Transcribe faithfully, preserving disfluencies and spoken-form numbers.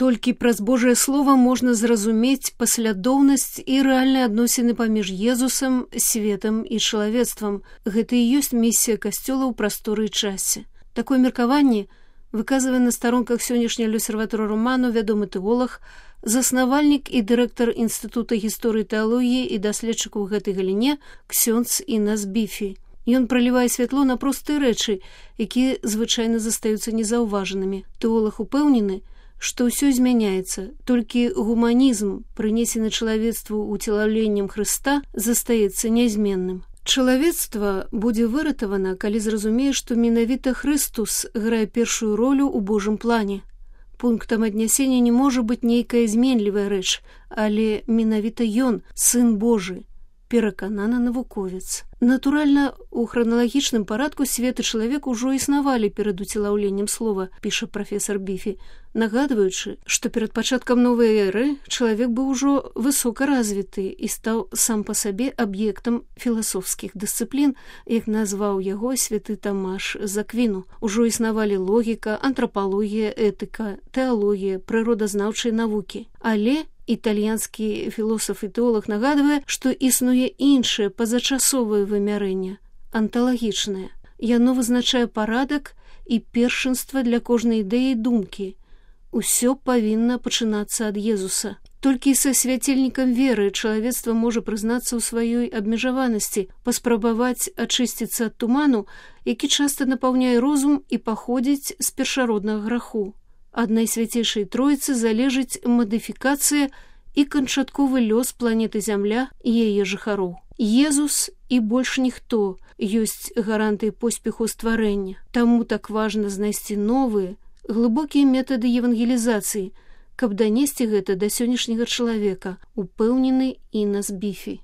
Толькі праз Божае Слова можна зразумець паслядоўнасць і рэальныя адносіны паміж Езусам, светам і чалавецтвам. Гэта і ёсць місія касцёла ў прасторы і часе. Такое меркаванне выказвае на старонках сённяшняй L'Osservatore Romano вядомы тэолог, заснавальнік і дырэктар Інстытута гісторыі тэалогіі і даследчык у гэтай галіне ксёндз Інас Біфі. Ён пралівае святло на простыя рэчы, якія звычайна застаюцца незаўважанымі. Тэолог упэўнены, што ўсё змяняецца, толькі гуманізм, прынесены чалавецтву уцелаўленнем Хрыста, застаецца нязменным. Чалавецтва будзе выратавана, калі зразумее, што менавіта Хрыстус грае першую ролю ў Божым плане. Пунктам аднясення не можа быць нейкая зменлівая рэч, але менавіта ён, Сын Божы, перакананы навуковец. Натуральна, у храналагічным парадку свет і чалавек ужо існавалі перад уцелаўленнем слова, піша прафесар Біфі, нагадваючы, што перад пачаткам новай эры чалавек быў ужо высока развіты і стаў сам па сабе аб'ектам філасофскіх дысцыплін, як назваў яго святы Тамаш з Аквіну. Ужо існавалі логіка, антрапалогія, этыка, тэалогія, прыродазнаўчыя навукі. Але італьянскі філосаф і тэолог нагадвае, што існуе іншае пазачасовае вымярэнне, анталагічнае. Яно вызначае парадак і першынства для кожнай ідэі думкі. Усё павінна пачынацца ад Езуса. Толькі са свяцельнікам веры чалавецтва можа прызнацца ў сваёй абмежаванасці, паспрабаваць ачысціцца ад туману, які часта напаўняе розум і паходзіць з першароднага граху. Ад Найсвяцейшай Троіцы залежыць мадыфікацыя і канчатковы лёс планеты Зямля і яе жыхароў. Езус і больш ніхто ёсць гарантыяй поспеху стварэння. Таму так важна знайсці новыя, глыбокія метады евангелізацыі, каб данесці гэта да сённяшняга чалавека, упэўнены Інас Біфі.